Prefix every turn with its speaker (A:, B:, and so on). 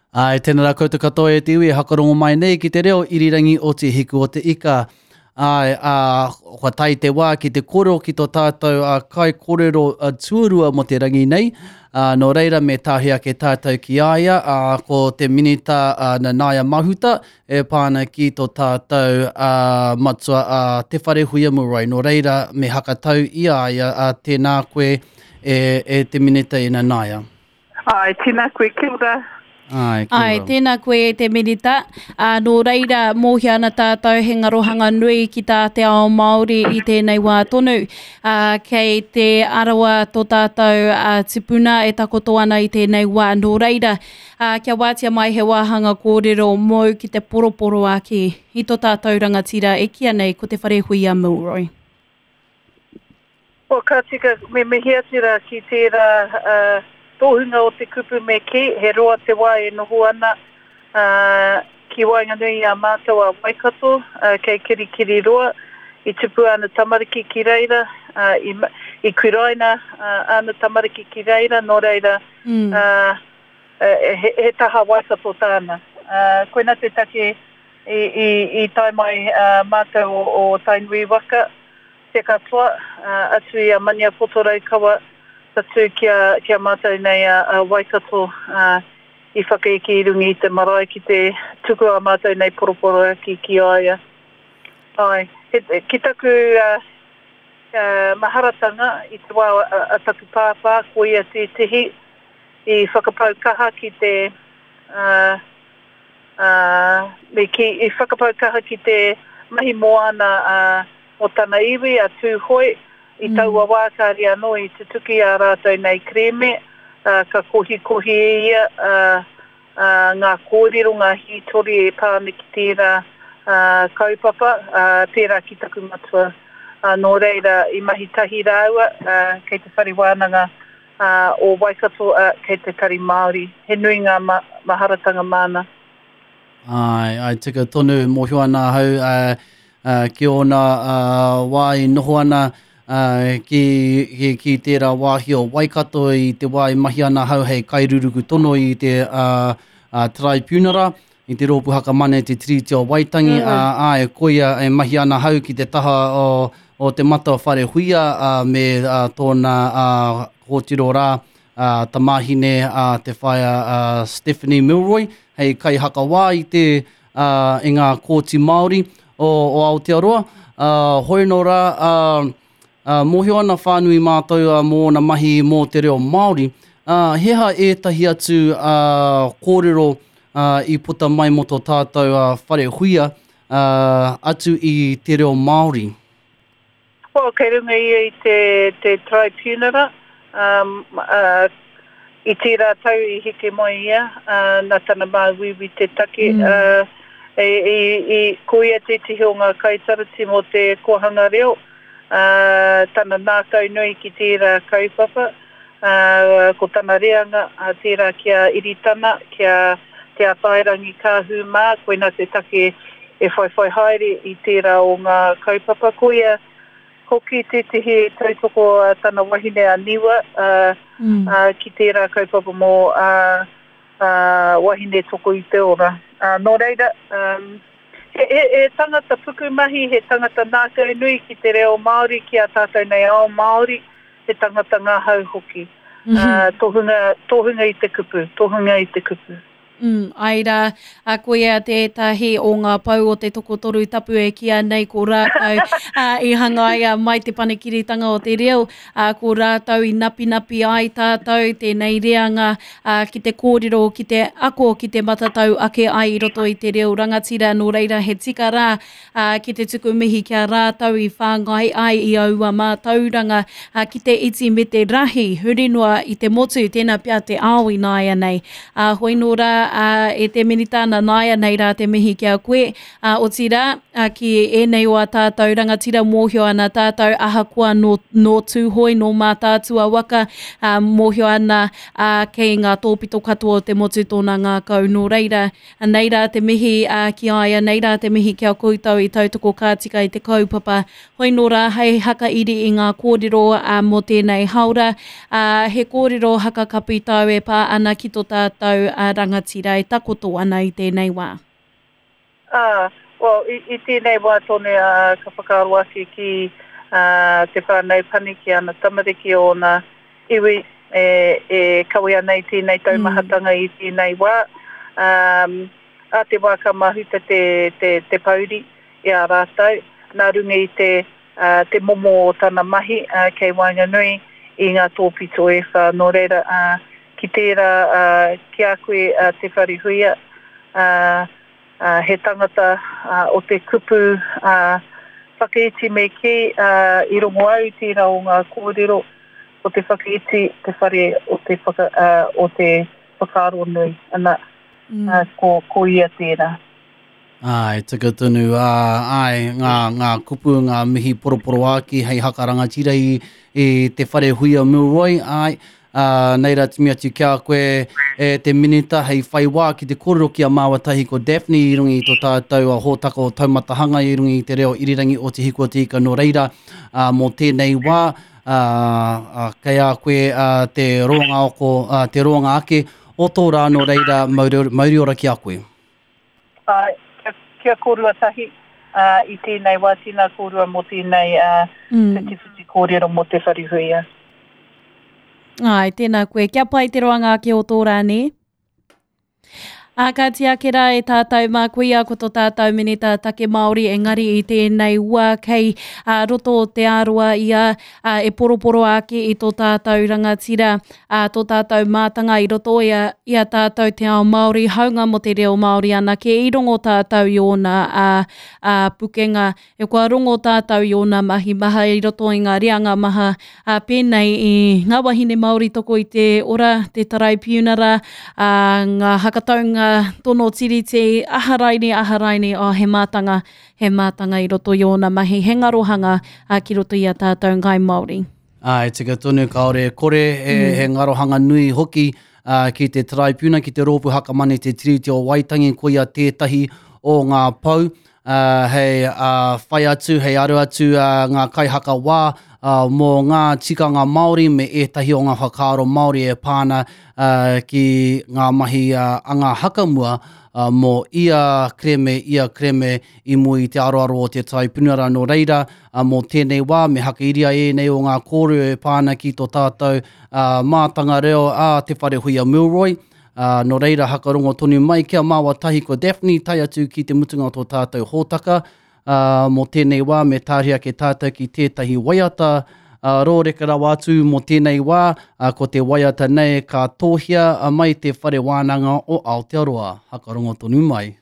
A: Āe, tēnā rā koutou katoa e te iwi e hakarongo mai nei ki te reo irirangi o Te Hiku o te Ika. Āe, ā, kua tae te wā ki te kōrero ki tō tātou ā, kaikōrero tuarua mō te rangi nei. Ā, nō reira me tāhi ake tātou ki a ia, ā, ko te Minita ā, Nanaia Mahuta e pā ana ki tō tātou ā, matua ā, Te Wharehuia Milroy. Nō reira me hakatau i a ia, ā, tēnā koe e, e te Minita e Nanaia.
B: Āe, tēnā koe, kia ora.
A: Āe, kia ora.
C: Āe, tēnā koe e te Minita. Ā, nō reira, mōhio ana tātou he ngarohanga nui ki tā te ao Māori i tēnei wā tonu. Ā, kei Te Arawa tō tātou ā, tipuna e takoto ana i tēnei wā. Nō reira, ā, kia wātea mai he wāhanga kōrero mōu ki te poroporoaki i tō tātou rangatira e kīia nei ko Te Wharehuia Milroy.
B: Well, ka tika, me mihi atu rā ki tērā tohunga o te kupu me kī, he roa te wā e noho ana ki waenganui i a mātou a Waikato, kei Kirikiriroa. I tupu āna tamariki ki reira, i kuraina āna tamariki ki reira, nō reira, he taha Waikato tāna. Koina te take i tae mai mātou o Tainui waka, Te katoa, atu i a Maniapoto Raukawa, tatū ki a, ki a mātou nei a, a Waikato, ā, i whakaeke i runga i te marae ki te tuku ā mātou nei poroporoaki ki a ia. Āe, he, ki taku ā, ā, maharatanga i te wā a, a taku pāpā, ko ia tētehi i whakapau kaha ki te, ā, ā, me kī, i whakapau kaha ki te mahi moana ā, mō tana iwi, a Tūhoe, i taua wā kāre anō i tutuki ā rātou nei kerēme, ā, ka kohikohi e ia, ā, ā, ngā kōrero, ngā hītori e pā ana ki tērā, ā, kaupapa, ā, pērā ki taku matua. Ā, nō reira, i mahi tahi rāua, ā, kei te whare wānanga, ā, o Waikato, ā, kei te Tari Māori. He nui ngā ma, maharatanga māna.
A: Āe, āe, tika tonu, mōhio ana ahau ā, ā, ki ōna ā, wā i noho ana ā, ki, ki, ki tērā wāhi o Waikato i te wā i mahi ana ahau hei kairuruku tono i te ā, ā, Taraipiunara, i te Rōpū Hakamana i te Tiriti o Waitangi, ā, āe, koia e mahi ana ahau ki te taha o, o te mata o Wharehuia, ā, me ā, tōna ā, kōtiro rā, ā, tamāhine a te whaea a Stephanie Milroy, hei kaihakawā i te, ā, i ngā kōti Māori o, o Aotearoa. Ā, hoi nō rā, ā, ā, mōhio ana whānui mātou ā, mō ōna mahi mō te reo Māori. Ā, he aha ētahi atu ā, kōrero ā, i puta mai mō tō tātou ā, whare huia ā, atu i te reo Māori?
B: Well, kei runga ia i te, te taraipiunara, um, ā, i tērā tau i heke mai ia, ā, nā tana māuiui te take, ā, i, i, i, ko ia tētehi o ngā kaitarati mō te kōhanga reo, ā, tana ngākau nui ki tērā kaupapa, ā, ko tana reanga, ā, tērā ki a Iritana, ki a Te Atairangi Kāhu mā, koinā te take e whaiwhai haere i tērā o ngā kaupapa. Koia hoki tētehi e tautoko a tana wahine a Niwa, ā, ā, ki tērā kaupapa mō ā, ā, wahine toko i te ora. Ā, nō reira, ā, he, he, he tangata pukumahi, he tangata ngākau nui ki te reo Māori, ki a tātou nei ao Māori, he tangata ngahau hoki. Ā, tohunga, tohunga i te kupu, tohunga i te kupu.
C: Mm, āe rā, ā, koia tētahi o ngā pou o te tokotoru tapu e kīia nei ko rātou, ā, i hangaia mai te panekiritanga o te reo, ā, ko rātou i napinapi ai tātou tēnei reanga, ā, ki te kōrero, ki te ako, ki te matatau ake ai i roto i te reo rangatira, nō reira he tika rā, ā, ki te tuku mihi ki a rātou i whāngai ai i aua mātauranga, ā, ki te iti me te rahi, huri noa i te motu, tēnā pea te ao ināianei. Ā, hoi nō rā, ā, e te Minita, nā nāianei rā te mihi ki a koe, ā, otirā, ā, ki ēnei o ā tātou rangatira mōhio ana tātou ahakoa nō, nō Tūhoe, nō Mātaatua waka, ā, mōhio ana, ā, kei ngā tōpito katoa o te motu tōna ngākau, nō reira, Anei rā te mihi ki a ia, nei rā te mihi ki a koutou i tautoko ka tika i te kaupapa. Hoi nō rā hei hakairi i ngā kōrero mō tēnei haora, he kōrero hakakapi tāu e pā ana ki tō tātou rangatira. rangatira e takoto ana i tēnei wā?
B: Ā, well, i, i tēnei wā tonu, ā, ka whakaaro ake ki, ā, te whānau pani, ki ana tamariki, ōna iwi e, e kawe ana i tēnei taumahatanga i tēnei wā. Ā, ā te wā ka mahuta te, te, te pouri i a rātou, nā runga i te, ā, te momo o tana mahi, ā, kei waenganui i ngā tōpito e whā. Nō reira, ā, ki tērā, ā, ki a koe, ā, Te Wharehuia, ā, ā, he tangata, ā, o te kupu, ā, whakaiti me kī, ā, i rongo au i tērā o ngā kōrero, ko te whakaiti te whare o te whaka, ā, o te whakaaro nui, ana, ā, ko, ko ia tērā.
A: Āe, tika tonu, ā, āe, ngā, ngā kupu, ngā mihi poroporoāki hei haka rangatira i, i te whare huia Milroy, āe, ā, nei rā timi atu ki a koe e te Minita hei whai wā ki te kōrero ki a māua tahi ko Daphne i runga i tō tātou hōtaka o Taumata Hanga i runga i te reo irirangi o Te Hiku o Te Ika nō reira, ā, mō tēnei wā, ā, ā, kei a koe, ā, te roanga oko, ā, te roanga ake o tō rā nō reira, mauri, mauri ora ki a koe.
B: Āe, kia, kia kōrua tahi, ā, i tēnei wā, tēnā kōrua mō tēnei, ā, whitiwhiti kōrero mō Te Wharehuia.
C: Āe, tēnā koe. Kia pai te roanga ake o tō rā, nē? Ā, ka tiake rā e tātou mā koia ko tō tātou Minita Take Māori engari i tēnei wā kei ā, roto o Te Āroa ia ā, e poroporo ake i tō tātou rangatira, ā, tō tātou mātanga i roto i a, i a tātou te ao Māori, haunga mō te reo Māori anake, i rongo tātou i ōna, ā, ā, pukenga, e kua rongo tātou i ōna mahi maha i roto i ngā reanga maha, ā, pēnei i ngā wahine Māori toko i te ora, te taraipiunara, ā, ngā hakataunga tono tiriti, aha raine, aha raine, oh, he mātanga, he mātanga i roto i ōna mahi, he ngarohanga, ā, ki roto i a tātou Ngāi Māori.
A: Ā, e tika tonu, kāore e kore, he, mm. he ngarohanga nui hoki uh, ki te Taraipiuna, ki te Rōpū Hakamana i te Tiriti o Waitangi, koia tētahi o ngā pou, uh, hei uh, whai atu, hei aru atu uh, ngā kaihakawā uh, mō ngā tikanga Māori me ētahi o ngā whakaaro Māori e pā ana uh, ki ngā mahi uh, anga hakamua uh, mō ia kereme, ia kereme i mua i te aroaro o te Taraipiunara. Nō reira, ā, mō tēnei wā, me hakairia ēnei o ngā kōrero e pā ana ki tō tātou mātanga reo a Te Wharehuia Milroy. Ā, nō reira, hakarongo tonu mai kia māua tahi ko Daphne tae atu ki te mutunga o tō tātou hōtaka. Ā, mō tēnei wā, me tāria ake tātou ki tētahi waiata, ā, rōreka rawa atu mō tēnei wā, ā, ko te waiata nei ka tōhia mai te Whare Wānanga o Aotearoa. Hakarongo tonu mai.